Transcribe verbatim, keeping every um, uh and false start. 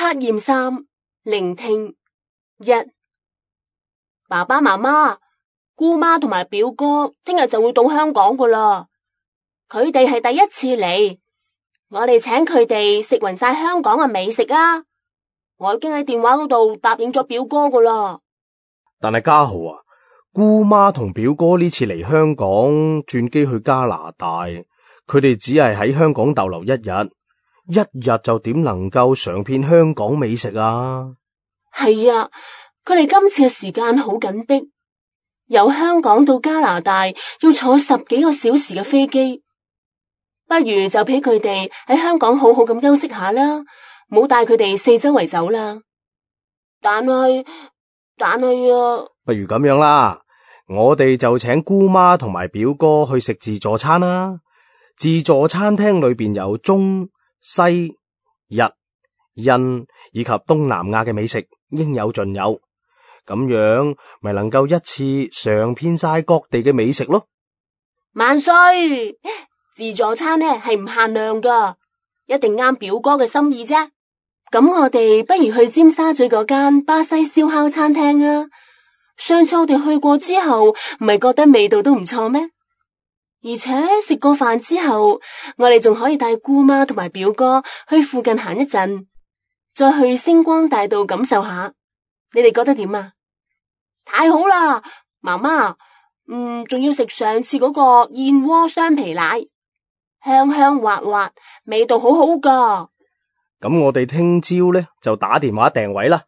測驗三，聆聽一。爸爸媽媽、姑媽同埋表哥聽日就會到香港噶啦，佢哋係第一次嚟，我哋請佢哋食勻晒香港嘅美食啊！我已經喺電話嗰度答應咗表哥噶啦。但係家豪啊，姑媽同表哥呢次嚟香港轉機去加拿大，佢哋只係喺香港逗留一日，一日就點能夠嘗遍香港美食啊？係啊，佢哋今次嘅時間好緊迫，由香港到加拿大要坐十幾個小時嘅飛機，不如就俾佢哋喺香港好好咁休息下啦，唔好帶佢哋四周圍走啦。但係但係啊，不如咁樣啦，我哋就請姑媽同埋表哥去食自助餐啦。自助餐廳裏邊有中西日印以及東南亞嘅美食，應有盡有，咁樣咪能夠一次嘗遍晒各地嘅美食咯。萬歲！自助餐呢係唔限量噶，一定啱表哥嘅心意啫。咁我哋不如去尖沙咀嗰間巴西燒烤餐廳啊！上次我哋去過之後，唔係覺得味道都唔錯咩？而且食過飯之後，我哋仲可以帶姑媽同埋表哥去附近行一陣，再去星光大道感受下。你哋覺得點啊？太好啦，媽媽，嗯，仲要食上次嗰個燕窩雙皮奶，香香滑滑，味道好好噶。咁我哋聽朝呢就打電話訂位啦。